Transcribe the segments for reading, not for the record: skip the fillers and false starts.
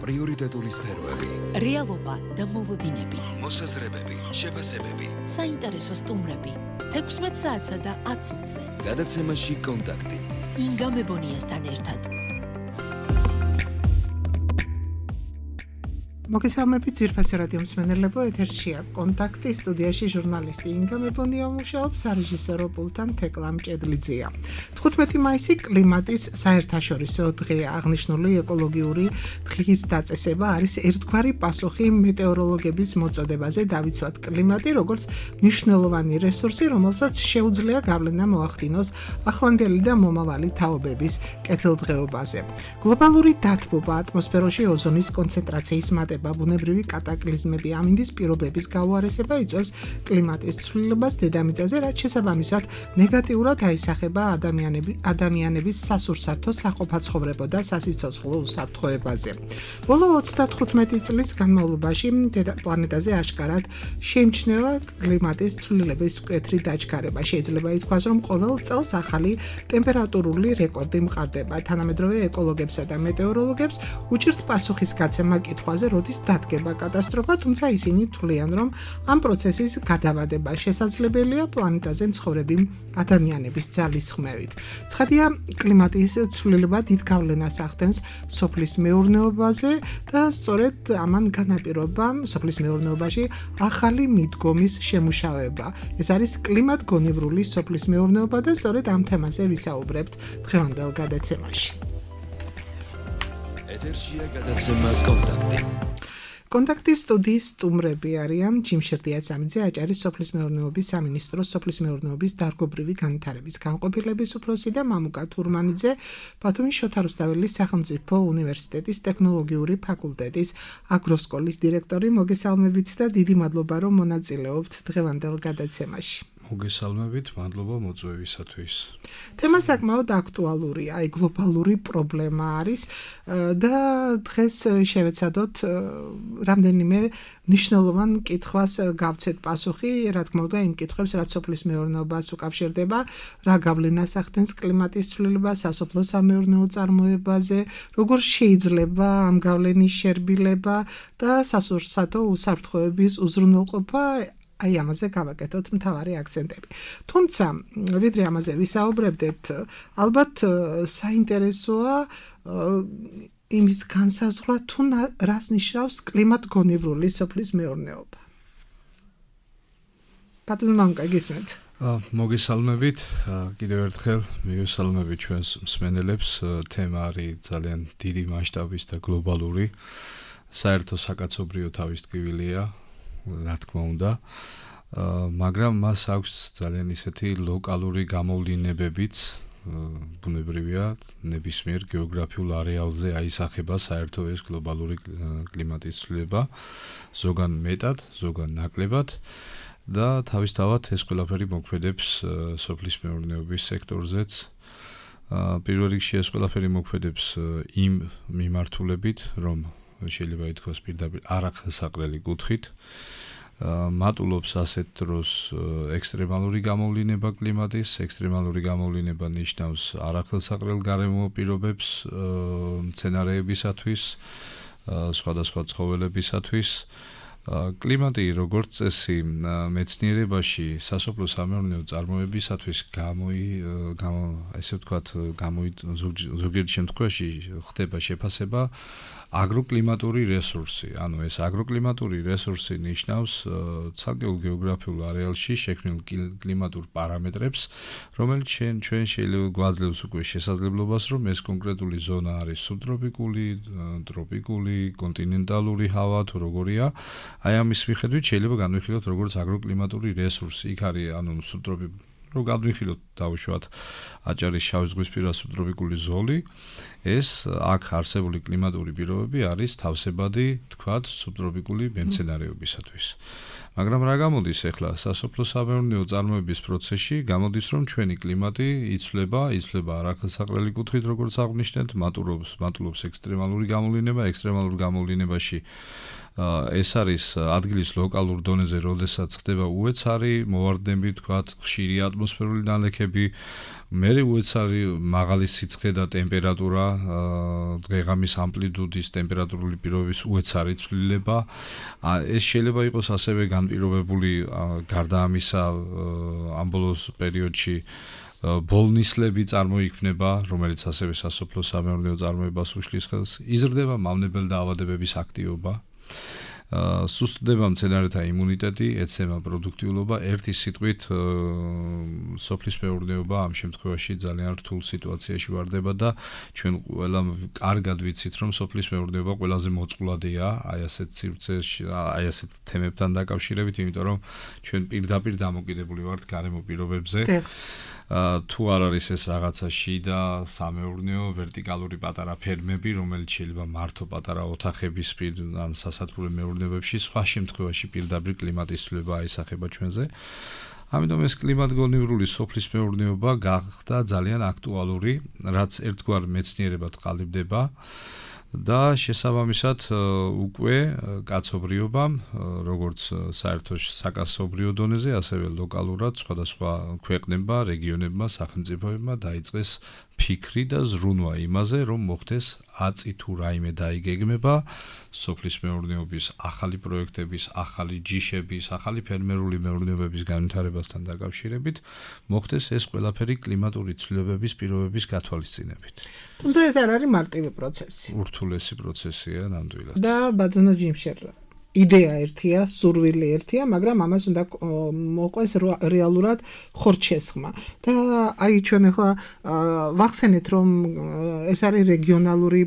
პრიორიტეტული სფეროები, რეალობა და მოლოდინები, მოსაზრებები, შეფასებები, საინტერესო სტუმრები, 16 საათსა და 10 წუთზე. გადაცემაში კონტაქტი. ინგა მებონიასთან ერთად. მოგესალმებით ძვირფასი რადიო მსმენელებო, ეთერშია კონტაქტი, სტუდიაში ჟურნალისტი ინგა მებონია მუშაობს, სარეჟისორო პულტთან თეკლა მჭედლიძეა. 15 მაისი კლიმატის საერთაშორისო დღეა. აღნიშნული ეკოლოგიური დღის დაწესება არის ერთგვარი პასუხი მეტეოროლოგების მოწოდებაზე დავიცვათ კლიმატი, როგორც მნიშვნელოვანი რესურსი, რომელსაც შეუძლია გავლენა მოახდინოს ახლანდელი და მომავალი თაობების კეთილდღეობაზე. გლობალური დათბობა, ატმოსფეროში ოზონის კონცენტრაციის მატება, ბუნებრივი კატაკლიზმები, ამინდის პირობების გაუარესება იწვევს კლიმატის ცვლილებას დედამიწაზე, რაც შესაბამისად ნეგატიურად აისახება ადამიანების სასურსათო, საყოფაცხოვრებო და სასიცოცხლო უსაფრთხოებაზე. ბოლო 35 წლის განმავლობაში პლანეტაზე აშკარად შეიმჩნევა კლიმატის ცვლილების მკვეთრი დაჩქარება. შეიძლება ითქვას, რომ ყოველ წელს ახალი ტემპერატურული რეკორდი მყარდება. თანამედროვე ეკოლოგებსა და მეტეოროლოგებს უჭირთ პასუხისგაცემა კითხვაზე, როდის დადგება კატასტროფა, თუმცა ისინი თვლიან, რომ ამ პროცესის გადავადება შესაძლებელია პლანეტაზე მცხოვრები ადამიანების ძალისხმევით. ცხადია, კლიმატის ცვლილება დიდ გავლენას ახდენს სოფლის მეურნეობაზე და სწორედ ამან განაპირობა სოფლის მეურნეობაში ახალი მიდგომის შემუშავება. ეს არის კლიმატგონივრული სოფლის მეურნეობა და სწორედ ამ თემაზე ვისაუბრებთ დღევანდელ გადაცემაში. ეთერშია გადაცემა კონტაქტი. კონტაქტის სტუდიის სტუმრები არიან ჯიმშ რდიაცამიძე, აჭარის სოფლის მეურნეობის სამინისტროს სოფლის მეურნეობის დარგობრივი განვითარების განყოფილების უფროსი და მამუკა თურმანიძე, ბათუმის შოთა რუსთაველის სახელმწიფო უნივერსიტეტის ტექნოლოგიური ფაკულტეტის აგროსკოლის დირექტორი. მოგესალმებით და დიდი მადლობა, რომ მონაწილეობთ დღევანდელ გადაცემაში. მოგესალმებით, მადლობა მოწვევისათვის. თემა საკმაოდ აქტუალურია, აი გლობალური პრობლემა არის და დღეს შევეცადოთ რამდენიმე მნიშვნელოვან კითხვას გავცეთ პასუხი, რა თქმა უნდა, იმ კითხვებს, რაც სოფლის მეურნეობას უკავშირდება, რა გავლენას ახდენს კლიმატის ცვლილება სასოფლო-სამეურნეო წარმოებაზე, როგორ შეიძლება ამ გავლენის შერბილება და სასურსათო უსაფრთხოების უზრუნველყოფა. აი ამაზე გავაკეთოთ მთავარი აქცენტები. თუმცა, ვიდრე ამაზე ვისაუბრებდეთ, ალბათ საინტერესოა იმის განსაზღვრა, თუ რას ნიშნავს კლიმატგონივრული სოფლის მეურნეობა. ბატონო მამუკა, გისმენთ? მოგესალმებით, კიდევ ერთხელ მივესალმებით ჩვენს მსმენელებს. თემა არის ძალიან დიდი მასშტაბის და გლობალური. საერთო საკაცობრიო თავისტკივილია. რა თქმა უნდა, მაგრამ მას აქვს ძალიან ისეთი ლოკალური გამოვლინებებიც, ბუნებრივია, ნებისმიერ გეოგრაფიულ არეალზე აისახება საერთო ეს გლობალური კლიმატის ცვლილება, ზოგან მეტად, ზოგან ნაკლებად და თავისთავად ეს ყველაფერი მოქმედებს სოფლის მეურნეობის სექტორზეც. პირველ რიგში ეს ყველაფერი მოქმედებს იმ მიმართულებით, რომ შეიძლება ითქვას პირდაპირ არახელსაყრელი კუთხით მატულობს ასეთ დროს ექსტრემალური გამოვლინება კლიმატის. ექსტრემალური გამოვლინება ნიშნავს არახელსაყრელ გარემო პირობებს მცენარეებისათვის, სხვადასხვა ცხოველებისათვის. კლიმატი როგორც წესი მეცნიერებაში სასოფლო-სამეურნეო წარმოებისათვის ზოგიერთ შემთხვევაში ხდება შეფასება აგროკლიმატური რესურსი. ანუ ეს აგროკლიმატური რესურსი ნიშნავს ცალკეულ გეოგრაფიულ არეალში შექმნილ კლიმატურ პარამეტრებს, რომელიც ჩვენ შეიძლება გვაძლევს უკვე შესაძლებლობას, რომ ეს კონკრეტული ზონა არის სუბტროპიკული, ტროპიკული, კონტინენტალური ჰავა თუ როგორია. აი ამის მიხედვით შეიძლება განვიხილოთ როგორც აგროკლიმატური რესურსი. იქ არის ანუ სუბტროპიკული, რომ გადვიხილოთ დავუშვათ აჭარის შავიზღვისპირა სუბტროპიკული ზოლი, ეს აქ არსებული კლიმატური პირობები არის თავსებადი, თქვათ, სუბტროპიკული მემცენარეობისათვის. მაგრამ რა გამოდის ახლა სასოფლო-სამეურნეო წარმოების პროცესში? გამოდის, რომ ჩვენი კლიმატი იცვლება არახელსაყრელი კუთხით, როგორც აღნიშნეთ, მატულობს ექსტრემალური გამოვლინება, ექსტრემალურ გამოვლინებაში ეს არის ადგილის ლოკალურ დონეზე, როდესაც ხდება უეცარი მოვარდნები, თქვათ, ხშირი ატმოსფერული ნალექები, მერე უეცარი მაღალი სიცხე და ტემპერატურა, დღე-ღამის ამპლიტუდის ტემპერატურული პირობების უეცარი ცვლილება. ეს შეიძლება იყოს ასევე განპირობებული გარდა ამისა ამ ბოლოს პერიოდში ბოლნისლები წარმოიქმნება, რომელიც ასევე სასოფლო-სამეურნეო წარმოებას უშლის ხელს. იზრდება მავნებელ დაავადებების აქტივობა. სუსტდება მცენარეთა იმუნიტეტი, ეცემა პროდუქტიულობა, ერთი სიტყვით სოფლის მეურნეობა ამ შემთხვევაში ძალიან რთულ სიტუაციაში ვარდება და ჩვენ ყველა კარგად ვიცით, რომ სოფლის მეურნეობა ყველაზე მოწყვლადია აი ასეთ სივრცეში, აი ასეთ თემებთან დაკავშირებით, იმიტომ რომ ჩვენ პირდაპირ დამოკიდებული ვართ გარემო პირობებზე. თუ არ არის ეს რაღაცა შიდა სამეურნეო ვერტიკალური პატარა ფერმები, რომელიც შეიძლება მართო პატარა ოთახების ან სასათბურე მეურნეობებში, სხვა შემთხვევაში პირდაპირ კლიმატის ცვლილება აისახება ჩვენზე. ამიტომ ეს კლიმატგონივრული სოფლის მეურნეობა გახდა ძალიან აქტუალური, რაც ერთგვარ მეცნიერებად ყალიბდება. და შესაბამისად უკვე კაცობრიობამ, როგორც საერთო საკაცობრიო დონეზე, ასევე ლოკალურად სხვადასხვა ქვეყნებმა, რეგიონებმა, სახელმწიფოებმა დაიწყეს ფიქრი და ზრუნვა იმაზე, რომ მოხდეს აწი თუ რაიმე დაიგეგმება სოფლის მეურნეობის ახალი პროექტების, ახალი ჯიშების, ახალი ფერმერული მეურნეობების განვითარებასთან დაკავშირებით, მოხდეს ეს ყველაფერი კლიმატური ცვლილებების პირობების გათვალისწინებით. თუმცა ეს არ არის მარტივი პროცესი. ურთულესი პროცესია ნამდვილად. და ბატონო ჯიმშერ, იდეა ერთია, სურვილი ერთია, მაგრამ ამას უნდა მოყვეს რეალურად ხორჩესხმა. და აი ჩვენ ახლა ვახსენეთ, რომ ეს არის რეგიონალური,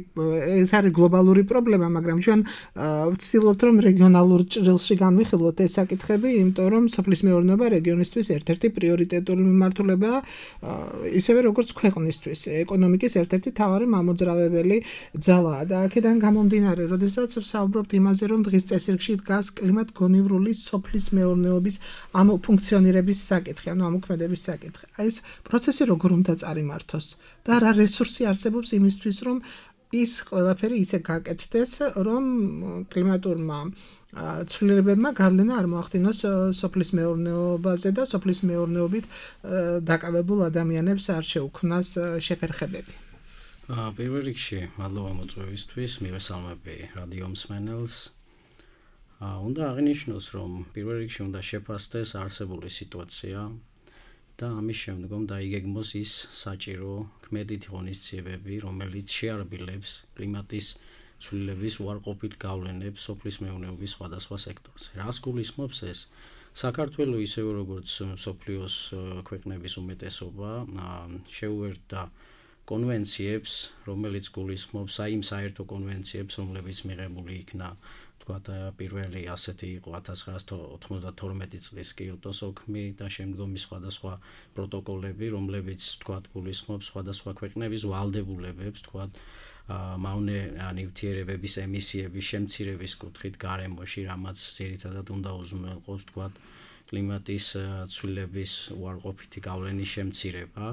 ეს არის გლობალური პრობლემა, მაგრამ ჩვენ ვცდილობთ, რომ რეგიონალურ ჭრილში განვიხილოთ ეს საკითხები, იმიტომ რომ სოფლის მეურნეობა რეგიონისთვის ერთ-ერთი პრიორიტეტული მიმართულებაა, ისევე როგორც ქვეყნისთვის, ეკონომიკის ერთ-ერთი მთავარი მამოძრავებელი ძალაა. და აქედან გამომდინარე, როდესაც ვსაუბრობთ იმაზე, რომ დღის წესრიგში დგას კლიმატგონივრული სოფლის მეურნეობის ამ ფუნქციონირების საკითხი, ანუ ამოქმედების საკითხი. ეს პროცესი როგორ უნდა წარიმართოს და რა რესურსი არსებობს იმისთვის, რომ ის ყველაფერი ისე გაკეთდეს, რომ კლიმატურმა ცვლილებებმა გავლენა არ მოახდინოს სოფლის მეურნეობაზე და სოფლის მეურნეობით დაკავებულ ადამიანებს არ შეუქმნას შეფერხებები. პირველ რიგში, მადლობა მოწვევისთვის, მივესალმები რადიო მსმენელს. უნდა აღინიშნოს, რომ პირველ რიგში უნდა შეფასდეს არსებული სიტუაცია და ამის შემდგომ დაიგეგმოს ის საჭირო ქმედითი ღონისძიებები, რომელიც შეარბილებს კლიმატის ცვლილების უარყოფით გავლენებს სოფლის მეურნეობის სხვადასხვა სექტორზე. რას გულისხმობს ეს? საქართველოს ისევე როგორც მსოფლიოს ქვეყნების უმეტესობა შეუერთდა კონვენციებს, რომელიც გულისხმობს იმ საერთო კონვენციებს, რომლებიც მიღებული იქნა პირველი ასეთი იყო 1992 წლის კიოტოს ოქმი და შემდგომი სხვადასხვა პროტოკოლები, რომლებიც გულისხმობს სხვადასხვა ქვეყნების ვალდებულებებს, მავნე ნივთიერებების ემისიების შემცირების კუთხით გარემოში, რამაც ძირითადად უნდა უზრუნველყოს კლიმატის ცვლილების უარყოფითი გავლენის შემცირება.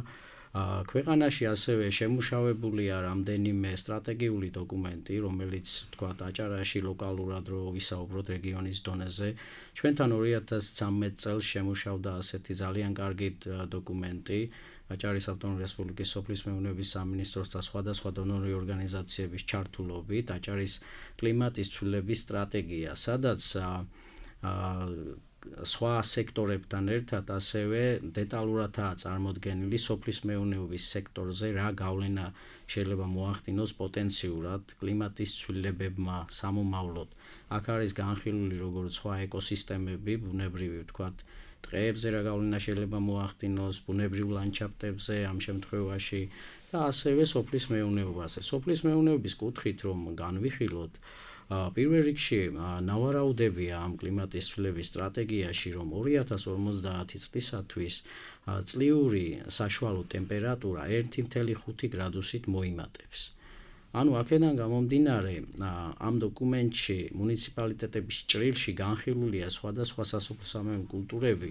ქვეყანაში ასევე შემუშავებულია რამდენიმე სტრატეგიული დოკუმენტი, რომელიც აჭარაში ლოკალურად რო ვისაუბროთ რეგიონის დონეზე. ჩვენთან 2013 წელს შემუშავდა ასეთი ძალიან კარგი დოკუმენტი აჭარის ავტონომიური რესპუბლიკის სოფლის მეურნეობის სამინისტროს და სხვადასხვა დონორი ორგანიზაციების ჩართულობით აჭარის კლიმატის ცვლილების სტრატეგია, სადაც სხვა სექტორებთან ერთად ასევე დეტალურადაა წარმოდგენილი სოფლის მეურნეობის სექტორზე რა გავლენა შეიძლება მოახდინოს პოტენციურად კლიმატის ცვლილებებმა სამომავლოდ. აქ არის განხილული როგორც სხვა ეკოსისტემები, ბუნებრივი ტყეებზე რა გავლენა შეიძლება მოახდინოს, ბუნებრივ ლანდშაფტებზე ამ შემთხვევაში და ასევე სოფლის მეურნეობაზე. სოფლის მეურნეობის კუთხით რომ განვიხილოთ, პირველ რიგში ნავარაუდებია ამ კლიმატის ცვლილების სტრატეგიაში, რომ 2050 წლისათვის წლიური საშუალო ტემპერატურა 1,5 გრადუსით მოიმატებს. ანუ აქედან გამომდინარე, ამ დოკუმენტში მუნიციპალიტეტების ჭრილში განხილულია სხვადასხვა სასოფლო-სამეურნეო კულტურები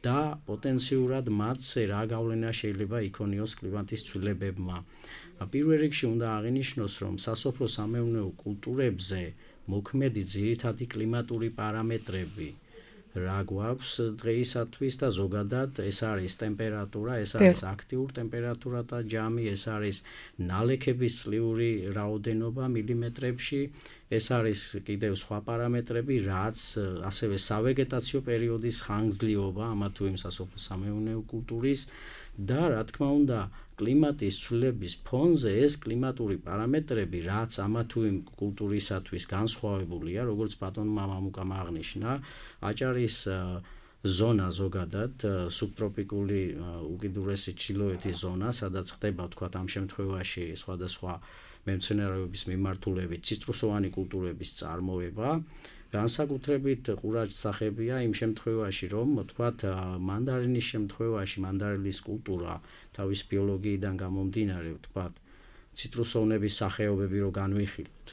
და პოტენციურად მათზე რა გავლენა შეიძლება იქონიოს კლიმატის ცვლილებებმა. პირველ რიგში უნდა აღინიშნოს, რომ სასოფლო-სამეურნეო კულტურებზე მოქმედი ძირითადი კლიმატური პარამეტრები რა გვაქვს დღეისათვის და ზოგადად ეს არის ტემპერატურა, ეს არის აქტიური ტემპერატურა და ჯამი, ეს არის ნალექების წლიური რაოდენობა მილიმეტრებში, ეს არის კიდევ სხვა პარამეტრები, რაც ასევე სავეგეტაციო პერიოდის ხანგრძლივობა ამა თუ იმ სასოფლო-სამეურნეო კულტურის და რა თქმა უნდა კლიმატის ცვლილების ფონზე ეს კლიმატური პარამეტრები, რაც ამა თუ იმ კულტურისათვის განსხვავებულია, როგორც ბატონმა მამუკამ აღნიშნა, აჭარის ზონა ზოგადად სუბტროპიკული უკიდურესი ჩრდილოეთის ზონა, სადაც ხდება თქვათ ამ შემთხვევაში სხვადასხვა მემცენარეობის მიმართულებით ციტრუსოვანი კულტურების წარმოება, განსაკუთრებით ყურაჯსახებია იმ შემთხვევაში, რომ თქვათ მანდარინის შემთხვევაში მანდარილის კულტურა თავის ბიოლოგიიდან გამომდინარე, თქვათ ციტრუსოვნების სახეობები რო განვიხილოთ,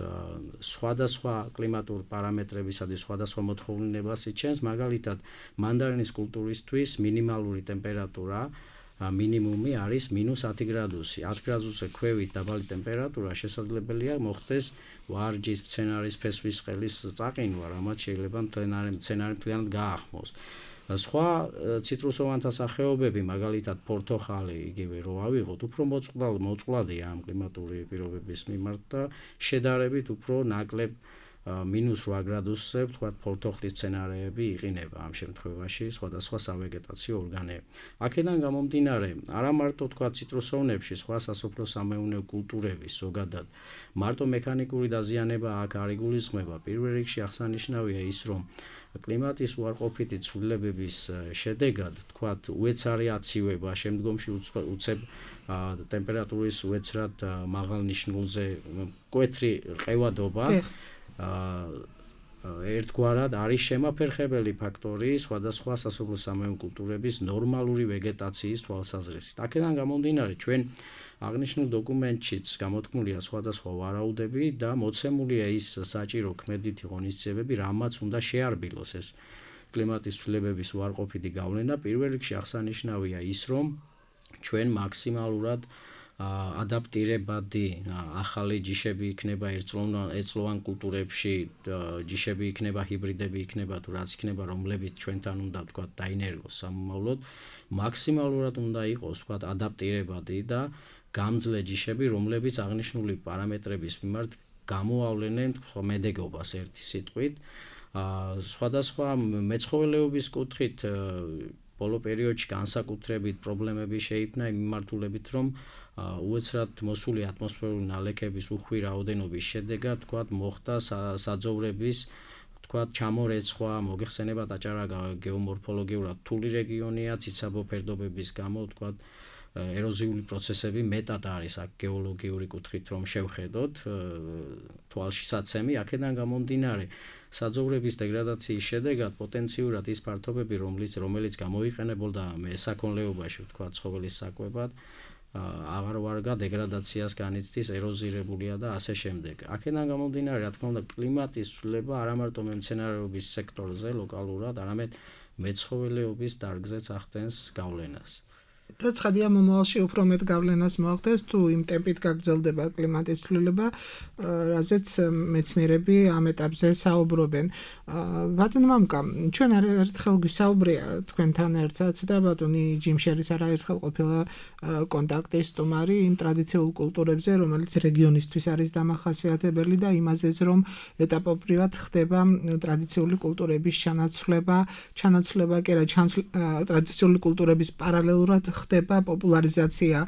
სხვადასხვა კლიმატურ პარამეტრებისა და სხვადასხვა მოთხოვნილებას იჩენს, მაგალითად მანდარინის კულტურისთვის მინიმალური ტემპერატურა მინიმუმი არის -10 გრადუსი. 10 გრადუსზე ქვევით დაბალი ტემპერატურა შესაძლებელია მოხდეს ვარჯის, მცენარის ფესვის ყელის წაყინვა, რამაც შეიძლება მცენარე მთლიანად გაახმოს. სხვა ციტრუსოვანთა სახეობები, მაგალითად პორტოხალი, იგივე რო ავიღოთ, უფრო მოწყვლადია ამ კლიმატური პირობების მიმართ და შედარებით უფრო ნაკლებ -8 გრადუსზე, თქვათ პორტოხლის მცენარეები იყინება ამ შემთხვევაში სხვადასხვა სავეგეტაციო ორგანოები. აქედან გამომდინარე, არა მარტო თქვათ ციტრუსოვნებში, სხვა სასოფლო-სამეურნეო კულტურების ზოგადად მარტო მექანიკური დაზიანება აქ არ იგულისხმება. პირველ რიგში აღსანიშნავია ის, რომ კლიმატის უარყოფითი ცვლილებების შედეგად, თქვათ, უეცარი აცივება, შემდგომში უცებ ტემპერატურის უეცრად მაღალ ნიშნულზე მკვეთრი ყევადობა ერთგვარად არის შემაფერხებელი ფაქტორი სხვადასხვა სასოფლო-სამეურნეო კულტურების ნორმალური ვეგეტაციის თვალსაზრისით. აქედან გამომდინარე, ჩვენ აღნიშნულ დოკუმენტშიც გამოთქმულია სხვადასხვა ვარაუდები და მოცემულია ის საჭირო ქმედითი ღონისძიებები, რამაც უნდა შეარბილოს ეს კლიმატის ცვლილებების უარყოფითი გავლენა. პირველ რიგში აღსანიშნავია ის, რომ ჩვენ მაქსიმალურად ადაპტირებადი ახალი ჯიშები იქნება ერთწლოვან კულტურებში, ჯიშები იქნება, ჰიბრიდები იქნება, თუ რაც იქნება, რომლებიც ჩვენთან უნდა თქვათ დაინერგოს სამომავლოდ, მაქსიმალურად უნდა იყოს თქვათ ადაპტირებადი და გამძლე ჯიშები, რომლებიც აღნიშნული პარამეტრების მიმართ გამოავლენენ მედეგობას ერთი სიტყვით. სხვადასხვა მეცხოველეობის კუთხით ბოლო პერიოდში განსაკუთრებით პრობლემები შეიქმნა იმ მიმართულებით, რომ უეცრად მოსული ატმოსფერული ნალექების უხვი რაოდენობის შედეგად, თქვათ, მოხდა საძოვრების, თქვათ, ჩამორეცხვა, მოგეხსენებათ აჭარა გეომორფოლოგიურად რთული რეგიონია, ციცაბო ფერდობების გამო, თქვათ, ეროზიული პროცესები მეტად არის აქ გეოლოგიური კუთხით რომ შევხედოთ თვალშისაცემი, აქედან გამომდინარე საძოვრების დეგრადაციის შედეგად პოტენციურად ის ფართობები, რომელიც გამოიყენებოდა მესაქონლეობაში, თქვათ, ცხოველის საკვებად, აღარ ვარგა დეგრადაციას განიცდის, ეროზირებულია და ასე შემდეგ. აქედან გამომდინარე, რა თქმა უნდა, კლიმატის ცვლილება არა მარტო მემცენარეობის სექტორზე ლოკალურად, არამედ მეცხოველეობის დარგზეც ახდენს გავლენას. და ცხადია მომავალში უფრო მეტ გავლენას მოახდენს თუ იმ ტემპით გაგრძელდება კლიმატის ცვლილება, რაზეც მეცნიერები ამ ეტაპზე საუბრობენ. ბატონო მამუკა, ჩვენ ერთხელ გვისაუბრია თქვენთან ერთად და ბატონი ჯიმშერის არაერთხელ ყოფილა კონტაქტის სტუმარი იმ ტრადიციულ კულტურებზე, რომელიც რეგიონისთვის არის დამახასიათებელი და იმაზეც, რომ ეტაპობრივად ხდება ტრადიციული კულტურების ჩანაცვლება კი არა, ტრადიციული კულტურების პარალელურად ხდება პოპულარიზაცია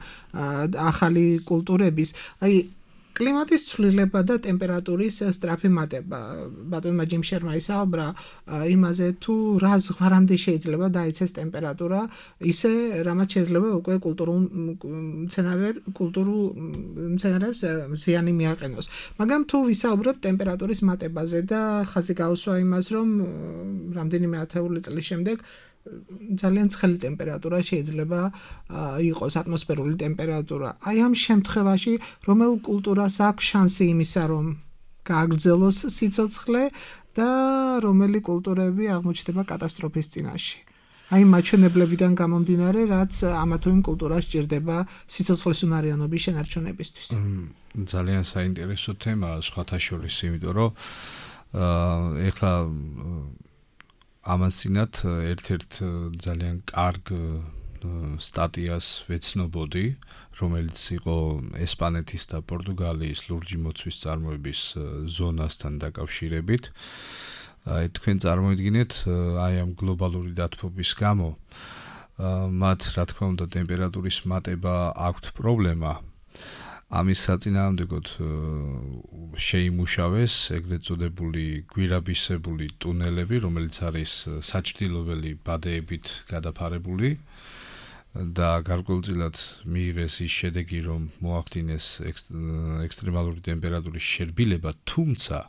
ახალი კულტურების. აი კლიმატის ცვლილება და ტემპერატურის სწრაფი მატება. ბატონმა ჯიმშერმა ისაუბრა იმაზე, თუ რა ზღვარამდე შეიძლება დაიცეს ტემპერატურა, ისე რამაც შეიძლება უკვე კულტურულ მცენარეებს ზიანი მიაყენოს. მაგრამ თუ ვისაუბრებთ ტემპერატურის მატებაზე და ხაზი გაუსვა იმას, რომ რამდენიმე ათეული წლის შემდეგ ძალიან ცხელი ტემპერატურა შეიძლება იყოს ატმოსფერული ტემპერატურა. აი ამ შემთხვევაში რომელ კულტურას აქვს შანსი იმისა, რომ გააგრძელოს სიცოცხლე და რომელი კულტურები აღმოჩნდება კატასტროფის წინაშე. აი მაჩვენებლებიდან გამომდინარე, რაც ამა თუ იმ კულტურას სჭირდება სიცოცხლის უნარიანობის შენარჩუნებისთვის. ძალიან საინტერესო თემაა სხვათა შორის, იმიტომ რომ ეხლა ამასინათ ერთ-ერთ ძალიან კარგ სტატიას ვეცნობოდი, რომელიც იყო ესპანეთის და პორტუგალიის ლურჯი მოცვის წარმოების ზონასთან დაკავშირებით. თქვენ წარმოიდგინეთ, აი ამ გლობალური დათბობის გამო მათ, რა თქმა უნდა, ტემპერატურის მატება აქვთ პრობლემა. ამის საწინააღმდეგოდ შეიმუშავეს ეგრეთ წოდებული გვირაბისებული ტუნელები, რომელიც არის საჭრილობელი ბადეებით გადაფარებული და გარკვეულწილად მიიღეს ის შედეგი, რომ მოახდინეს ექსტრემალური ტემპერატურის შერბილება, თუმცა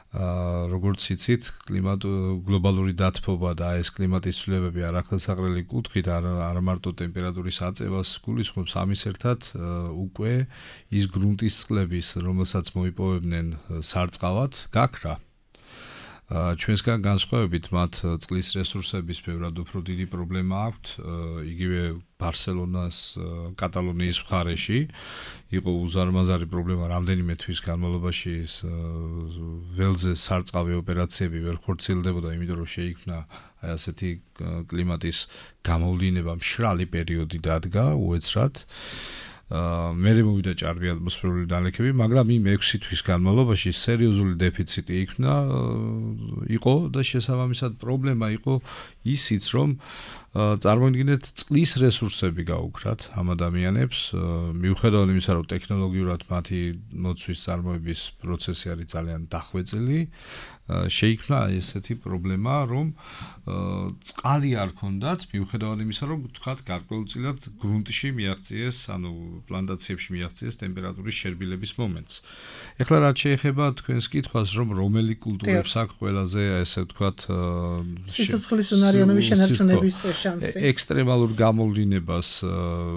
როგორც იცით, გლობალური დათბობა და ეს კლიმატის ცვლილებები არახელსაყრელი კუთხით არ მარტო ტემპერატურის აწევას გულისხმობს, ამის ერთად უკვე ის გრუნტის წყლების, რომელსაც მოიპოვებდნენ სარწყავად, გაქრა. ჩვენსგან განსხვავებით, მათ წყლის რესურსების ბევრად უფრო დიდი პრობლემა აქვთ, იგივე ბარსელონას, კატალონიის მხარეში იყო უზარმაზარი პრობლემა რამდენიმე თვის განმავლობაში ველზე სარწყავი ოპერაციები ვერ ხორციელდებოდა, იმიტომ რომ შეიქმნა აი ასეთი კლიმატის გამოვლინება, მშრალი პერიოდი დადგა უეცრად. მერე მოვიდა ჭარბი ატმოსფერული დანალექები, მაგრამ იმ 6 თვის განმავლობაში სერიოზული დეფიციტი იყო და შესაბამისად პრობლემა იყო ისიც, რომ წარმოიდგინეთ, წყლის რესურსები გაუქრათ ამ ადამიანებს, მიუხედავად იმისა, რომ ტექნოლოგიურად მათი მოცვის წარმოების პროცესი არის ძალიან დახვეწილი, შეიქმნა ესეთი პრობლემა, რომ წყალი არ ქონდათ, მიუხედავად იმისა, რომ თქვათ გარკვეულწილად გრუნტში მიაღწიეს, ანუ პლანტაციებში მიაღწიეს ტემპერატურის შერბილების მომენტს. ეხლა რაც შეეხება თქვენს კითხვას, რომ რომელი კულტურებს აქვს ყველაზე, ესე ვთქვათ, სიცოცხლის უნარიანობის შენარჩუნების შანსი. ექსტრემალურ გამოვლინებას,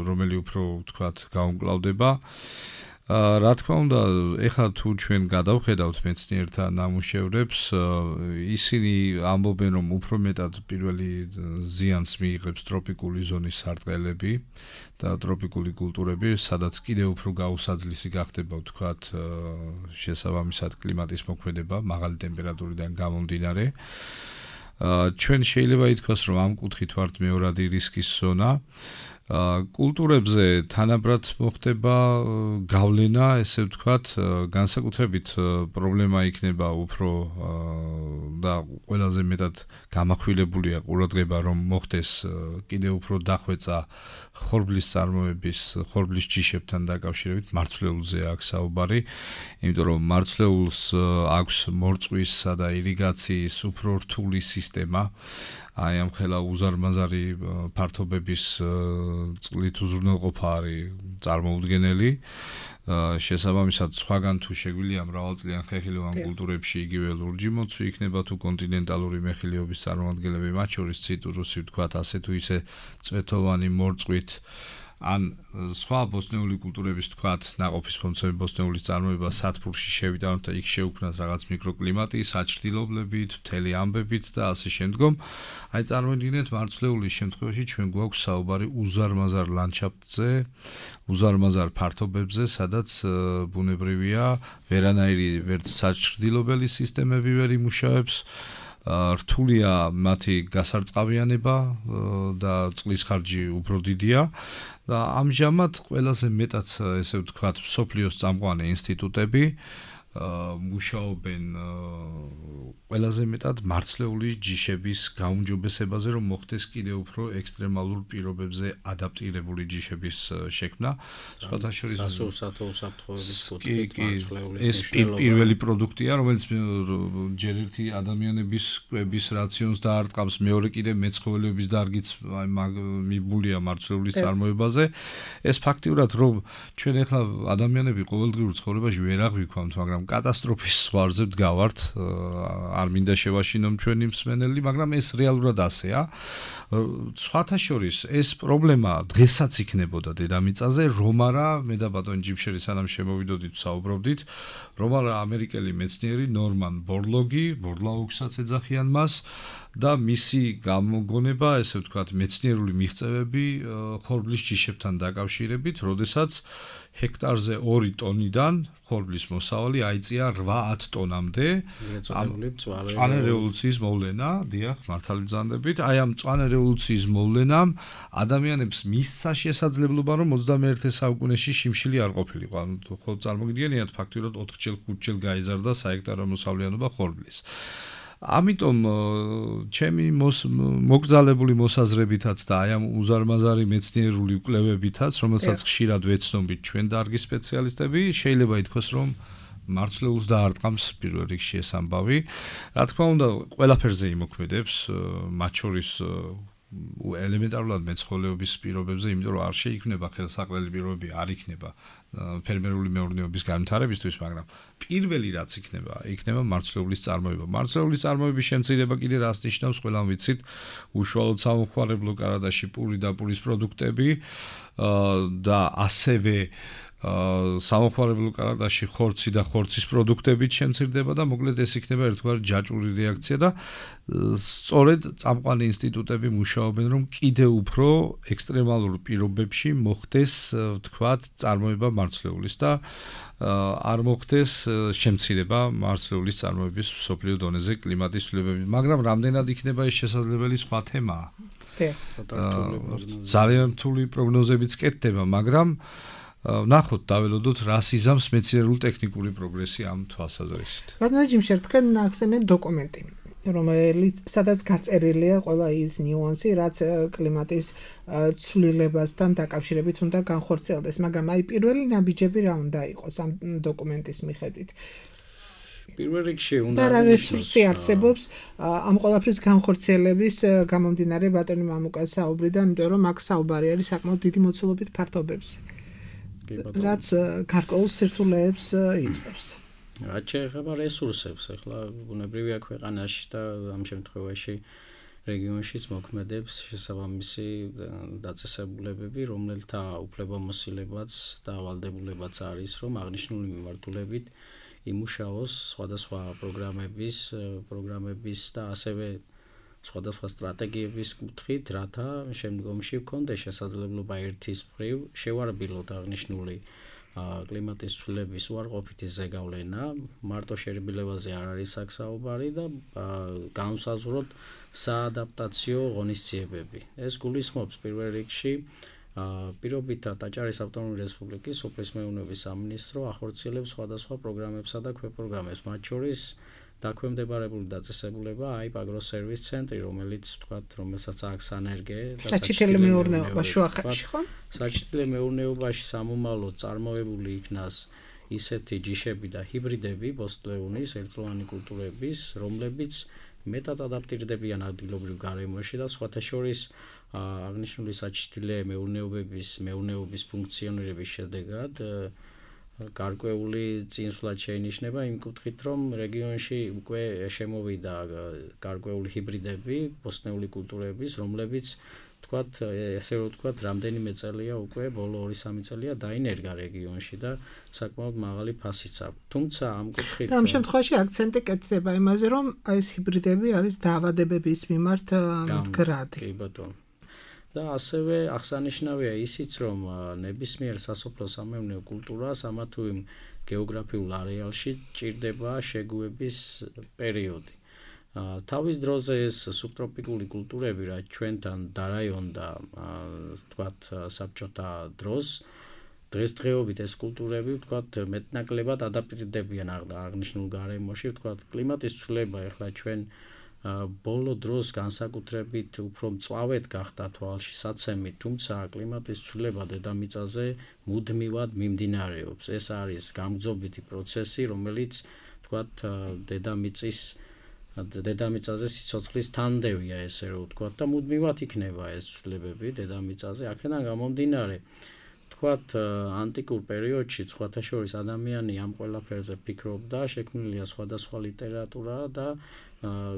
რომელი უფრო ვთქვათ, გაუმკლავდება. რა თქმა უნდა, ეხლა თუ ჩვენ გადავხედავთ მეცნიერთა ნამუშევრებს, ისინი ამბობენ, რომ უფრო მეტად პირველი ზიანს მიიღებს ტროპიკული ზონის სარტყელები და ტროპიკული კულტურები, სადაც კიდევ უფრო გაუსაძლისი გახდება, ვთქვათ, შესაბამისად კლიმატის მოქმედება, მაღალი ტემპერატურიდან გამომდინარე. ჩვენ შეიძლება ითქვას, რომ ამ კუთხით ვართ მეორადი რისკის ზონა. კულტურებზე თანაბრად მოხდება გავლენა, ესე ვთქვათ, განსაკუთრებით პრობლემა იქნება უფრო და ყველაზე მეტად გამახვილებულია ყურადღება, რომ მოხდეს კიდევ უფრო დახვეწა ხორბლის წარმოების, ხორბლის ჯიშებთან დაკავშირებით, მარცვლეულზე აქვს საუბარი, იმიტომ რომ მარცვლეულს აქვს მორწყვისა და ირიგაციის უფრო რთული სისტემა. აი ამ ხელა უზარმაზარი ფართობების წყლით უზრუნველყოფა არის წარმოუდგენელი. შესაბამისად, სხვაგან თუ შეგვიძლია მრავალწლიან ხეხილოვან კულტურებში იგივე ლურჯი მოცვი იქნება თუ კონტინენტალური მეხილეობის წარმოადგენლები, მათ შორის ციტრუსი, ვთქვათ, ასე თუ ისე წვეთოვანი მორწყვით ან სხვა ბოსნეული კულტურების, თქვათ, ნაყოფის ფორმები ბოსნეულის წარმოება სათბურში შევიტანოთ და იქ შეუქმნათ რაღაც მიკროკლიმატი, საჭრილობლებით, მთელი ამბებით და ასე შემდგომ. აი წარმოიდგინეთ, მარცვლეულის შემთხვევაში ჩვენ გვაქვს საუბარი უზარმაზარ ლანდშაფტზე, უზარმაზარ ფართობებზე, სადაც ბუნებრივია ვერანაირი ვერც საჭრილობელი სისტემები ვერ იმუშავებს. რთულია მათი გასარწყავიანება და წყლის ხარჯი უფრო დიდია და ამჟამად ყველაზე მეტად, ესე ვთქვათ, მსოფლიოს წამყვანი ინსტიტუტები მუშაობენ ყველაზე მეტად მარცვლეული ჯიშების გაუმჯობესებაზე, რომ მოხდეს კიდევ უფრო ექსტრემალურ პირობებზე ადაპტირებული ჯიშების შექმნა. სხვათა შორის ეს პირველი პროდუქტია, რომელიც ჯერ ერთი ადამიანების კვების რაციონს დაარტყამს, მეორე კიდე მეცხოველეობის დარგიც მიბულია მარცვლეული წარმოებაზე. ეს ფაქტიურად, რომ ჩვენ ახლა ადამიანები ყოველდღიურ ცხოვრებაში ვერ აღვიქვამთ, მაგრამ კატასტროფის ზღვარზე ვდგავართ, არ მინდა შევაშინო ჩვენი მსმენელი, მაგრამ ეს რეალურად ასეა. სხვათა შორის ეს პრობლემა დღესაც იქნებოდა დედამიწაზე, რომ არა მე და ბატონი ჯიმშერი სანამ შემოვიდოდით საუბრობდით, რომ არა ამერიკელი მეცნიერი ნორმან ბორლაუგსაც ეძახიან მას და მისი გამოგონება, ესე ვთქვათ, მეცნიერული მიღწევები ხორბლის ჯიშებთან დაკავშირებით, როდესაც ჰექტარზე 2 ტონიდან ხორბლის მოსავალი აიწია 8-10 ტონამდე. მწვანე რევოლუციის მოვლენა, დიახ, მართალი ბრძანდებით. აი ამ მწვანე რევოლუციის მოვლენამ ადამიანებს მისცა შესაძლებლობა, რომ 21 საუკუნეში შიმშილი არ ყოფილიყო. ანუ ხო წარმოგიდგენიათ, ფაქტიურად 4-ჯერ 5-ჯერ გაიზარდა საექტარო მოსავლიანობა ხორბლის. ამიტომ ჩემი მოგზალებული მოსაზრებითაც და აი ამ უზარმაზარი მეცნიერული კვლევებითაც, რომელსაც ხშირად ვეცნობით ჩვენ დარგის სპეციალისტები, შეიძლება ითქვას, რომ მარცვლეულს დაარტყამს პირველ რიგში ეს ამბავი. რა თქმა უნდა, ყველაფერზე იმოქმედებს, მათ შორის ელემენტარულად მეცხოველეობის პირობებზე, იმიტომ რომ არ შეიქმნება ხელსაყრელი პირობები, არ იქნება ფერმერული მეურნეობის განვითარებისთვის, მაგრამ პირველი რაც იქნება მარცვლეულის წარმოება. მარცვლეულის წარმოების შემცირება კიდე რას ნიშნავს, ყველამ ვიცით, უშუალოდ სამოხმარებლო კარადაში პური და პურის პროდუქტები და ასევე სამოხმარებლო კარადაში ხორცი და ხორცის პროდუქტებით შემცირდება და მოკლედ ეს იქნება ერთგვარი ჯაჭვური რეაქცია და სწორედ წამყვანი ინსტიტუტები მუშაობენ, რომ კიდევ უფრო ექსტრემალურ პირობებში მოხდეს, ვთქვათ, წარმოება მარცვლეულის და არ მოხდეს შემცირება მარცვლეულის წარმოების მსოფლიო დონეზე კლიმატის ცვლილებებით. მაგრამ რამდენად იქნება ეს შესაძლებელი სხვა თემაა. ძალიან რთული პროგნოზებიც კეთდება, მაგრამ ნახოთ, დაველოდოთ, რას იზამს მეცნიერულ ტექნიკური პროგრესი ამ თვალსაზრისით. ბატონო ჯიმშერ, თქვენ ახსენეთ დოკუმენტი, რომელიც სადაც გაწერილია ყველა ის ნიუანსი, რაც კლიმატის ცვლილებასთან დაკავშირებით უნდა განხორციელდეს, მაგრამ აი პირველი ნაბიჯები რა უნდა იყოს ამ დოკუმენტის მიხედვით? პირველ რიგში უნდა და რა რესურსი არსებობს ამ ყველაფრის განხორციელების გამომდინარე ბატონი მამუკას საუბრიდან, იმიტომ რომ აქ საუბარი არის საკმაოდ დიდი მოცულობით ფართობებზე. რაც გარკვეულ სირთულეებს იწვევს. რაც შეეხება რესურსებს, ახლა ბუნებრივია ქვეყანაში და ამ შემთხვევაში რეგიონშიც მოქმედებს შესაბამისი დაწესებულებები, რომელთა უფლებამოსილებაც და ვალდებულებაც არის, რომ აღნიშნული მიმართულებით იმუშაოს სხვადასხვა პროგრამების და ასევე სხვადასხვა სტრატეგიების კუთხით, რათა შემდგომში გქონდეს შესაძლებლობა ერთის მხრივ შევარბილოთ აღნიშნული კლიმატის ცვლილების უარყოფითი ზეგავლენა, მარტო შერბილებაზე არ არის აქ საუბარი და განვსაზღვროთ საადაპტაციო ღონისძიებები. ეს გულისხმობს პირველ რიგში პირობითად აჭარის ავტონომიური რესპუბლიკის სოფლის მეურნეობის სამინისტრო ახორციელებს სხვადასხვა პროგრამებსა და ქვეპროგრამებს, მათ შორის დაქვემდებარებული დაწესებულება აიპ აგროსერვის ცენტრი, რომელსაც აქვს სანერგე და საჩითელი მეურნეობა შუახეთში, ხო? საჩითელი მეურნეობაში სამომავლოდ წარმოებული იქნას ისეთი ჯიშები და ჰიბრიდები ბოსტლეუნის ერთწლოვანი კულტურების, რომლებიც მეტად ადაპტირდებიან ადგილობრივ გარემოში და სხვათა შორის აღნიშნული საჩითელი მეურნეობის ფუნქციონირების შედეგად გარკვეული წინსვლა შეინიშნება იმ კუთხით, რომ რეგიონში უკვე შემოვიდა გარკვეული ჰიბრიდები, ბოსტნეული კულტურების, რომლებიც ესე რომ ვთქვათ, რამდენიმე წელია უკვე, ბოლო 2-3 წელია დაინერგა რეგიონში და საკმაოდ მაღალი ფასიც აქვს. თუმცა ამ კუთხით და ამ შემთხვევაში აქცენტი კეთდება იმაზე, რომ ეს ჰიბრიდები არის დაავადებების მიმართ მდგრადი. კი ბატონო. და ასევე აღსანიშნავია ისიც, რომ ნებისმიერ სასოფლო-სამეურნეო კულტურას ამა თუ იმ გეოგრაფიულ არეალში ჭირდება შეგუების პერიოდი. თავის დროზე ეს სუბტროპიკული კულტურები, რაც ჩვენთან დარაიონდა, ვთქვათ, საბჭოთა დროს, დღესდღეობით ეს კულტურები, ვთქვათ, მეტნაკლებად ადაპტირდებიან აღნიშნულ გარემოში, ვთქვათ, კლიმატის ცვლილება ახლა ჩვენ ბოლო დროს განსაკუთრებით უფრო მწვავედ გახდა თვალში საცემი, თუმცა კლიმატის ცვლილება დედამიწაზე მუდმივად მიმდინარეობს. ეს არის გამგზობითი პროცესი, რომელიც, ვთქვათ, დედამიწაზე სიცოცხლის თანმდევია, ესე რომ ვთქვათ, და მუდმივად იქნება ეს ცვლილებები დედამიწაზე. აქედან გამომდინარე, ვთქვათ, ანტიკურ პერიოდში სხვათა შორის ადამიანი ამ ყველაფერზე ფიქრობდა, შექმნილია სხვადასხვა ლიტერატურა და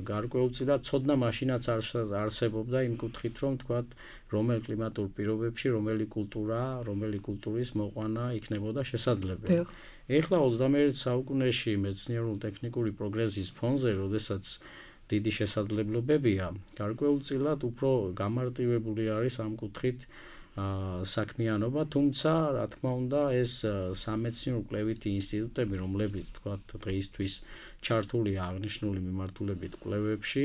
გარკვეულწილად ცოდნა მაშინაც არსებობდა იმ კუთხით, რომ ვთქვათ, რომელ კლიმატურ პირობებში რომელი კულტურის მოყვანა იქნებოდა შესაძლებელი. ეხლა 21 საუკუნეში მეცნიერულ-ტექნიკური პროგრესის ფონზე, როდესაც დიდი შესაძლებლობებია, გარკვეულწილად უფრო გამარტივებული არის ამ კუთხით საქმიანობა, თუმცა, რა თქმა უნდა, ეს სამეცნიერო-კვლევითი ინსტიტუტები, რომლებიც თქვათ დღეისთვის ჩართულია აღნიშნული მიმართულებით კვლევებში,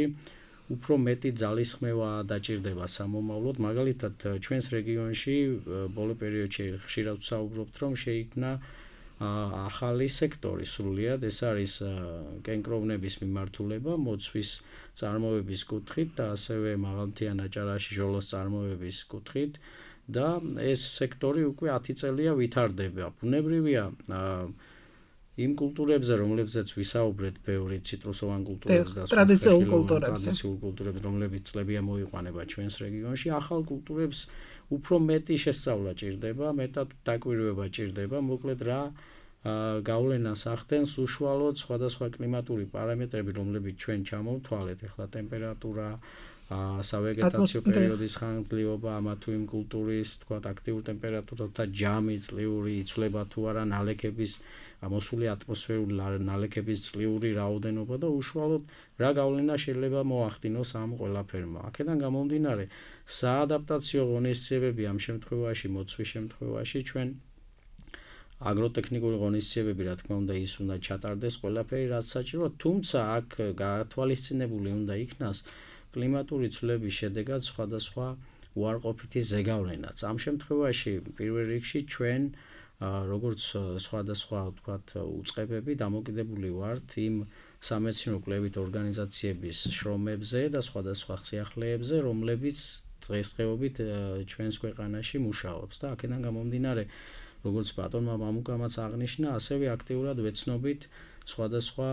უფრო მეტი ძალისხმევა დაჭირდება სამომავლოდ, მაგალითად, ჩვენს რეგიონში ბოლო პერიოდში ხშირად ვსაუბრობთ, რომ შეიქმნა ახალი სექტორი სრულიად, ეს არის კენკროვნების მიმართულება, მოცვის წარმოების კუთხით და ასევე მაღალმთიან აჭარაში ჟოლოს წარმოების კუთხით და ეს სექტორი უკვე 10 წელია ვითარდება. ბუნებრივია იმ კულტურებზე, რომლებზეც ვისაუბრეთ, ბევრი ციტრუსოვან კულტურებზე და ტრადიციულ კულტურებზე, რომლებიც წლებია მოიყვანება ჩვენს რეგიონში, ახალ კულტურებს უფრო მეტი შესწავლა ჭირდება, მეტად დაკვირვება ჭირდება, მოკლედ რა გავლენას ახდენს უშუალოდ სხვადასხვა კლიმატური პარამეტრები, რომლებიც ჩვენ ჩამოვთვალეთ, ახლა ტემპერატურა, სავეგეტაციო პერიოდის ხანგრძლივობა, ამა თუ იმ კულტურის, თქვათ, აქტიურ ტემპერატურათა ჯამი, წლიური იცვლება თუ არა, ნალექების მოსული ატმოსფერული ნალექების წლიური რაოდენობა და უშუალოდ რა გავლენა შეიძლება მოახდინოს ამ ყველაფერმა. აქედან გამომდინარე, საადაპტაციო ღონისძიებები ამ შემთხვევაში, მოცვის შემთხვევაში ჩვენ აგროტექნიკური ღონისძიებები, რა თქმა უნდა, ის უნდა ჩატარდეს ყველაფერი, რაც საჭიროა, თუმცა აქ გათვალისწინებული უნდა იქნას კლიმატური ცვლილების შედეგად სხვადასხვა უარყოფითი ზეგავლენაც. ამ შემთხვევაში პირველ რიგში ჩვენ როგორც სხვადასხვა ვთქვათ უწყებები დამოკიდებული ვართ იმ სამეცნიერო-კვლევით ორგანიზაციების შრომებზე და სხვადასხვა სიახლეებზე, რომლებიც დღესდღეობით ჩვენს ქვეყანაში მუშაობს და აქედან გამომდინარე, როგორც ბატონმა მამუკამაც აღნიშნა, ასევე აქტიურად ვეცნობით სხვადასხვა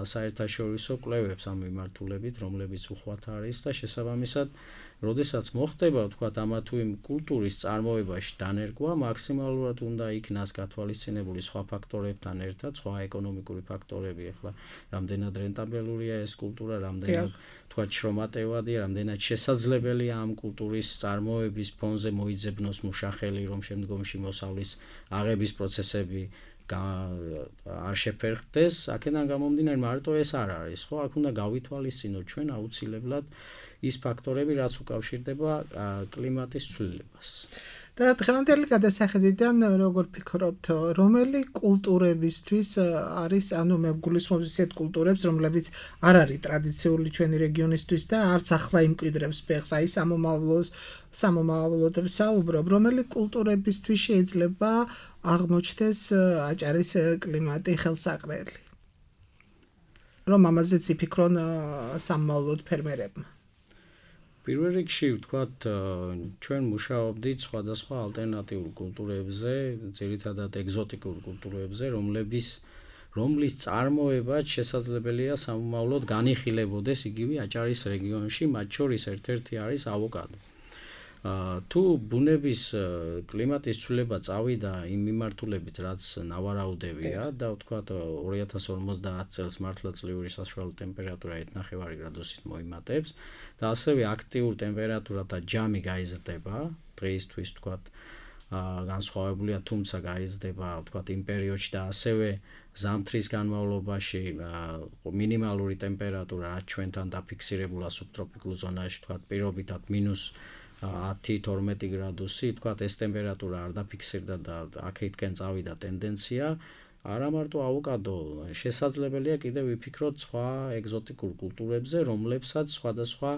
საერთაშორისო კვლევებს ამ მიმართულებით, რომლებიც უხვად არის და შესაბამისად, როდესაც მოხდება, ვთქვათ, ამა თუ იმ კულტურის წარმოებაში დანერგვა, მაქსიმალურად უნდა იქნას გათვალისწინებული სხვა ფაქტორებთან ერთად, სხვა ეკონომიკური ფაქტორები, ახლა რამდენად რენტაბელურია ეს კულტურა, რამდენად ვთქვათ შრომატევადია, რამდენად შესაძლებელია ამ კულტურის წარმოების ფონზე მოიძებნოს მუშახელი, რომ შემდგომში მოსავლის აღების პროცესები არ შეფერხდეს, აქედან გამომდინარე, მარტო ეს არ არის, ხო? აქ უნდა გავითვალისწინოთ ჩვენ აუცილებლად ის ფაქტორები, რაც უკავშირდება კლიმატის ცვლილებას. და დღევანდელი გადასახედიდან როგორ ფიქრობთ, რომელი კულტურებისთვის არის, ანუ მე გულისხმობ ისეთ კულტურებს, რომლებიც არ არის ტრადიციული ჩვენი რეგიონისთვის და არც ახლა იმკვიდრებს ფეხს, აი სამომავლოდ ვსაუბრობ, რომელი კულტურებისთვის შეიძლება აღმოჩნდეს აჭარის კლიმატი ხელსაყრელი. რომ ამაზეც იფიქრონ სამომავლოდ ფერმერებმა. პირველ რიგში ვთქვათ, ჩვენ მუშაობდით სხვადასხვა ალტერნატიულ კულტურებზე, ძირითადად ეგზოტიკურ კულტურებზე, რომლის წარმოებაც შესაძლებელია სამომავლოდ განიხილებოდეს იგივე აჭარის რეგიონში, მათ შორის ერთ-ერთი არის ავოკადო. თუ ბუნების კლიმატის ცვლილება წავიდა იმ მიმართულებით, რაც ნავარაუდებია და ვთქვათ 2050 წელს მართლა წლიური საშუალო ტემპერატურა 1.5 გრადუსით მოიმატებს და ასევე აქტიურ ტემპერატურათა ჯამი გაიზრდება, დღეისთვის ვთქვათ განსხვავებულია, თუმცა გაიზრდება ვთქვათ იმ პერიოდში და ასევე ზამთრის განმავლობაში მინიმალური ტემპერატურა, რაც ჩვენთან დაფიქსირებულა სუბტროპიკულ ზონაში, ვთქვათ პირობითად -10-12 გრადუსი, თქვათ ეს ტემპერატურა არ დაფიქსირდა და აქეთკენ წავიდა ტენდენცია, არა მარტო ავოკადო, შესაძლებელია კიდევ ვიფიქროთ სხვა ეგზოტიკურ კულტურებზე, რომლებსაც სხვადასხვა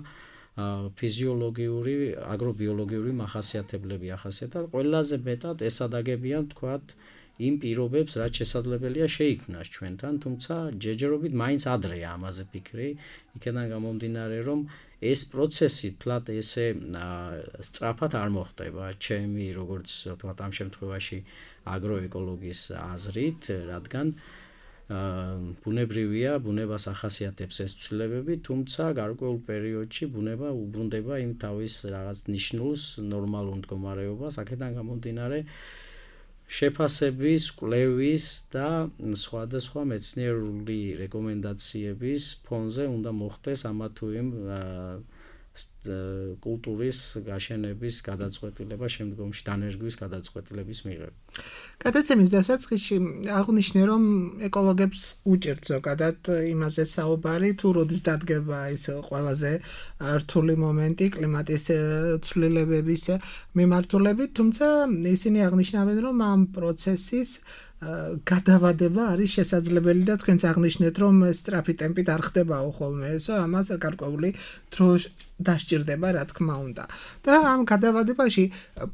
ფიზიოლოგიური, აგრობიოლოგიური მახასიათებლები ახასიათებთ. ყველაზე მეტად ეს ადაგებიან, თქვათ, იმ პირობებს, რაც შესაძლებელია შეიქმნას ჩვენთან, თუმცა ჯერჯერობით მაინც ადრეა ამაზე ფიქრი, იქიდან გამომდინარე, რომ ეს პროცესი თლად ესე სწრაფად არ მოხდება, ჩემი როგორც ვთქვათ ამ შემთხვევაში აგროეკოლოგის აზრით, რადგან ბუნებრივია, ბუნებას ახასიათებს ეს ცვლილებები, თუმცა გარკვეულ პერიოდში ბუნება უბრუნდება იმ თავის რაღაც ნიშნულს, ნორმალურ მდგომარეობას, აქედან გამომდინარე შეფასების, კვლევის და სხვადასხვა მეცნიერული რეკომენდაციების ფონზე უნდა მოხდეს ამა თუ იმ კულტურის გაშენების გადაწყვეტილება შემდგომში დანერგვის გადაწყვეტილების მიღება. გადაცემის დასაწყისში აღნიშნე, რომ ეკოლოგებს უჭერთ ზოგადად იმაზე საუბარი, თუ როდის დადგება ის ყველაზე რთული მომენტი კლიმატის ცვლილებების მიმართულებით, თუმცა ისინი აღნიშნავენ, რომ ამ პროცესის გადავადება არის შესაძლებელი და თქვენც აღნიშნეთ, რომ სწრაფი ტემპით არ ხდებაო ხოლმე ესო, ამას გარკვეული დრო დასჭირდება, რა თქმა უნდა. და ამ გადავადებაში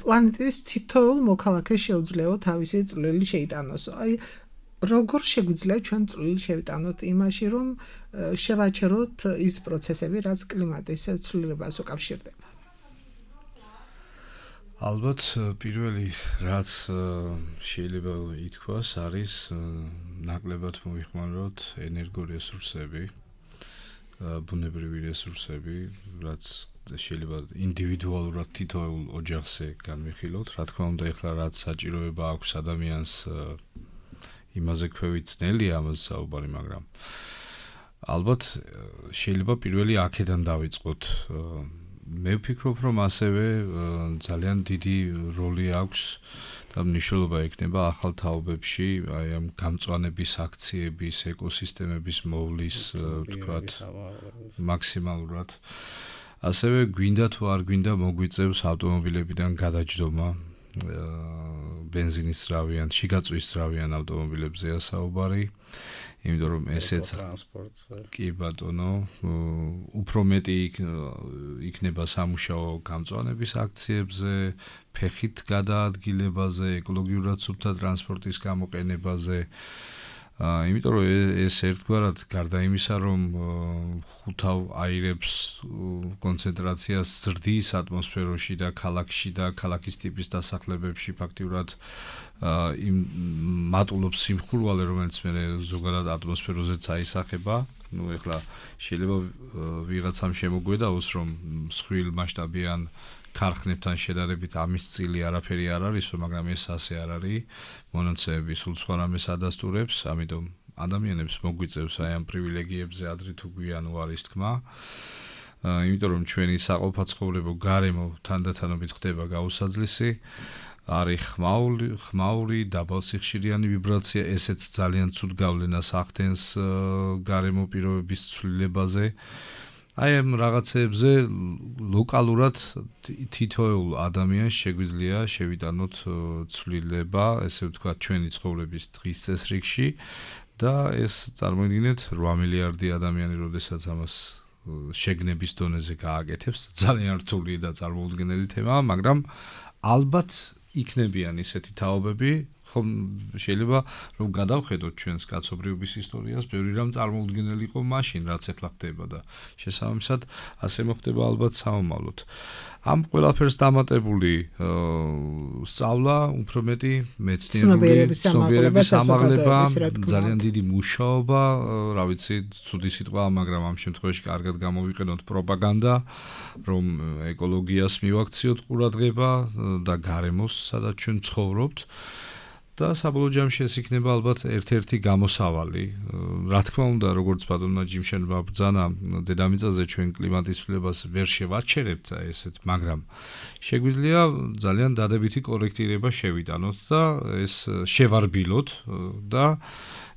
პლანეტის თითოეულ მოქალაქეს შეუძლია თავისი წვლილი შეიტანოს. აი, როგორ შეგვიძლია ჩვენ წვლილი შევიტანოთ იმაში, რომ შევაჩეროთ ის პროცესები, რაც კლიმატის ცვლილებას უკავშირდება? ალბათ პირველი რაც შეიძლება ითქვას არის ნაკლებად მოიხმაროთ ენერგორესურსები, ბუნებრივი რესურსები, რაც შეიძლება ინდივიდუალურად თითოეულ ოჯახზე განვიხილოთ. რა თქმა უნდა, ეხლა რაც საჭიროება აქვს ადამიანს იმაზე ქვევით ძნელია ამაზე საუბარი, მაგრამ ალბათ შეიძლება პირველი აქედან დავიწყოთ. მე ვფიქრობ, რომ ასევე ძალიან დიდი როლი აქვს და მნიშვნელობა ექნება ახალ თაობებში, აი ამ გამწვანების აქციების, ეკოსისტემების მოვლის, ვთქვათ, მაქსიმალურად. ასევე გვინდა თუ არ გვინდა მოგვიწევს ავტომობილებიდან გადაჯდომა, ბენზინის ძრავიან, შიგაწვის ძრავიან ავტომობილებზეა საუბარი. იმიტომ რომ ესეც კი ბატონო, უფრო მეტი იქნება სამუშაო გამწვანების აქციებზე, ფეხით გადაადგილებაზე, ეკოლოგიურად სუფთა ტრანსპორტის გამოყენებაზე. იმიტომ რომ ეს ერთგვარად გარდა იმისა, რომ ხუთავ აირებს კონცენტრაციას ზრდის ატმოსფეროში და ქალაქში და ქალაქის ტიპის დასახლებებში ფაქტიურად იმ მატულობს სიმხურვალე, რომელიც მე ზოგადად ატმოსფეროზეც აისახება. ნუ ეხლა შეიძლება ვიღაცამ შემოგვედაოს, რომ მსხვილ მასშტაბიან ქარხნებთან შედარებით ამის წილი არაფერი არ არისო, მაგრამ ეს ასე არ არის. მონაცემები სულ სხვა რამეს ადასტურებს, ამიტომ ადამიანებს მოგვიწევს აი ამ პრივილეგიებზე ადრე თუ გვიან უარის თქმა. იმიტომ რომ ჩვენი საყოფაცხოვრებო გარემო თანდათანობით ხდება გაუსაძლისი. არის ხმაური, დაბალსიხშირიანი ვიბრაცია, ესეც ძალიან ცუდ გავლენას ახდენს გარემო პირობების ცვლილებაზე. აი ამ რაღაცებზე ლოკალურად თითოეულ ადამიანს შეგვიძლია შევიტანოთ ცვლილება, ესე ვთქვათ, ჩვენი ცხოვრების დღის წესრიგში და ეს წარმოიდგინეთ 8 მილიარდი ადამიანი, როდესაც ამას შეგნების დონეზე გააკეთებს, ძალიან რთული და წარმოუდგენელი თემაა, მაგრამ ალბათ იქნებიან ისეთი თაობები, ხომ შეიძლება რომ გადავხედოთ ჩვენს კაცობრიობის ისტორიას, ბევრი რამ წარმოუდგენელი იყო მაშინ, რაც ახლა ხდება და შესაბამისად ასე მოხდება ალბათ საომალოდ. ამ ყველაფერს დამატებული სწავლა, უფრო მეტი მეცნიერული ცნობიერების ამაღლება, ძალიან დიდი მუშაობა, რა ვიცი, ცუდი სიტყვა, მაგრამ ამ შემთხვევაში კარგად გამოვიყენოთ პროპაგანდა, რომ ეკოლოგიას მივაქციოთ ყურადღება და გარემოს, სადაც ჩვენ ცხოვრობთ. და საბოლოო ჯამში ეს იქნება ალბათ ერთ-ერთი გამოსავალი. რა თქმა უნდა, როგორც ბატონმა ჯიმშენმა ბრძანა, დედამიწაზე ჩვენ კლიმატის ცვლილებას ვერ შევაჩერებთ ესეთ, მაგრამ შეგვიძლია ძალიან დადებითი კორექტირება შევიტანოთ და ეს შევარბილოთ და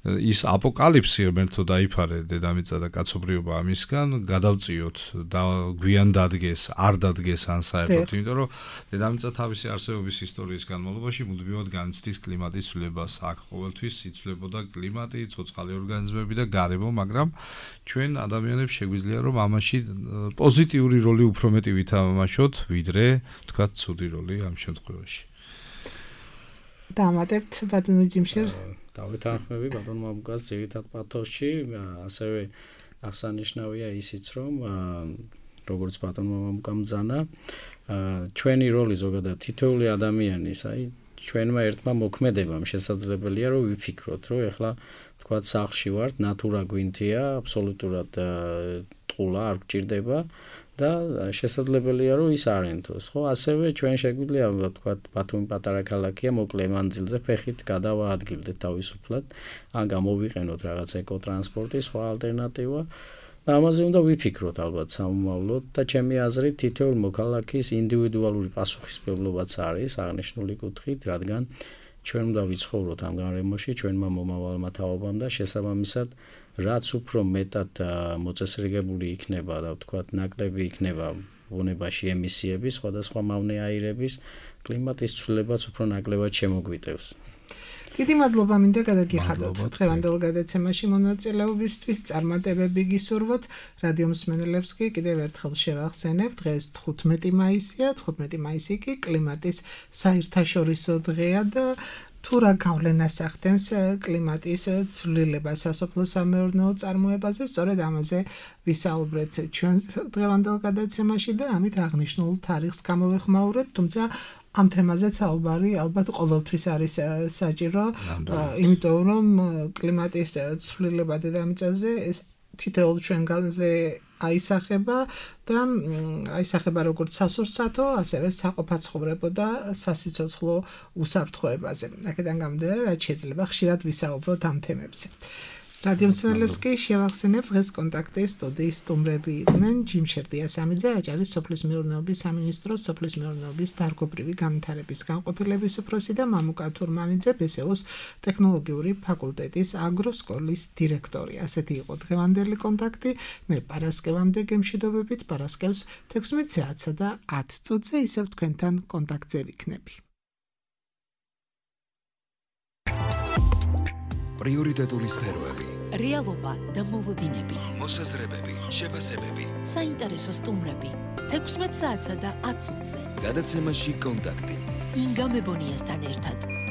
ის აპოკალიფსი ღმერთო დაიფარე დედამიწა და კაცობრიობა ამისგან გადავწიოთ და გვიან დადგეს, არ დადგეს ან საერთოდ, იმიტომ რომ დედამიწა თავისი არსებობის ისტორიის განმავლობაში მუდმივად განიცდის კლიმატის ცვლილებას. აქ ყოველთვის იცვლებოდა კლიმატი, ცოცხალი ორგანიზმები და გარემო, მაგრამ ჩვენ ადამიანებს შეგვიძლია რომ ამაში პოზიტიური როლი უფრო მეტი ვითამაშოთ, ვიდრე თქვათ ცუდი როლი ამ შემთხვევაში. დამატებთ ბატონო ჯიმშერ? დავეთანხმები ბატონმა მგას ძირითად პათოსში, ასევე აღსანიშნავია ისიც, რომ როგორც ბატონმა მგამძანა, ჩვენი როლი ზოგადად თითოეული ადამიანის, აი ჩვენმა ერთმა მოქმედებამ შესაძლებელია რომ ვიფიქროთ, რომ ეხლა თქვათ სახლში ვართ, ნატურა გვინთია, აბსოლუტურად ტყულა არ გჭირდება და შესაძლებელია რომ ის არ ენთოს, ხო? ასევე ჩვენ შეგვიძლია ვთქვათ, ბათუმი პატარა ქალაქია, მოკლე მანძილზე ფეხით გადავაადგილდეთ თავისუფლად, ან გამოვიყენოთ რაღაც ეკოტრანსპორტი, სხვა ალტერნატივა. და ამაზე უნდა ვიფიქროთ ალბათ სამომავლოდ და ჩემი აზრით თითოეულ მოქალაქის ინდივიდუალური პასუხისმგებლობაც არის აღნიშნული კუთხით, რადგან ჩვენ უნდა ვიცხოვროთ ამ გარემოში, ჩვენმა მომავალმა თაობამ და შესაბამისად რაც უფრო მეტად მოწესრიგებული იქნება და ვთქვათ ნაკლები იქნება ბუნებაში ემისიების, სხვადასხვა მავნე აირების, კლიმატის ცვლილებაც უფრო ნაკლებად შემოგვიტევს. დიდი მადლობა მინდა გადაგიხადოთ დღევანდელ გადაცემაში მონაწილეობისთვის, წარმატებები გისურვოთ. რადიო მსმენელებს კი კიდევ ერთხელ შევახსენებ, დღეს 15 მაისია, 15 მაისი კი კლიმატის საერთაშორისო დღეა და თუ რა გავლენას ახდენს კლიმატის ცვლილება სასოფლო-სამეურნეო წარმოებაზე, სწორედ ამაზე ვისაუბრეთ ჩვენ დღევანდელ გადაცემაში და ამით აღნიშნულ თარიღს გამოვეხმაურეთ, თუმცა ამ თემაზე საუბარი ალბათ ყოველთვის არის საჭირო, იმიტომ რომ კლიმატის ცვლილება დედამიწაზე ეს თითოეულ ჩვენგანზე აისახება და აისახება როგორც სასურსათო, ასევე საყოფაცხოვრებო და სასიცოცხლო უსაფრთხოებაზე. აქედან გამომდინარე, რაც შეიძლება ხშირად ვისაუბროთ ამ თემებზე. რადიო მსმენელებს კი შევახსენებ, დღეს კონტაქტის სტუდიის სტუმრები იყვნენ ჯიმშერ დიასამიძე, აჭარის სოფლის მეურნეობის სამინისტროს სოფლის მეურნეობის დარგობრივი განვითარების განყოფილების უფროსი და მამუკა თურმანიძე, ბესეოს ტექნოლოგიური ფაკულტეტის აგროსკოლის დირექტორი. ასეთი იყო დღევანდელი კონტაქტი. მე პარასკევამდე გემშვიდობებით, პარასკევს 16 საათსა და 10 წუთზე ისევ თქვენთან კონტაქტზე ვიქნები. პრიორიტეტული სფეროები, რეალობა და მოლოდინები, მოსაზრებები, შეფასებები, საინტერესო სტუმრები, 16 საათსა და 10 წუთზე. გადაცემაში კონტაქტი. ინგა მებონიასთან ერთად.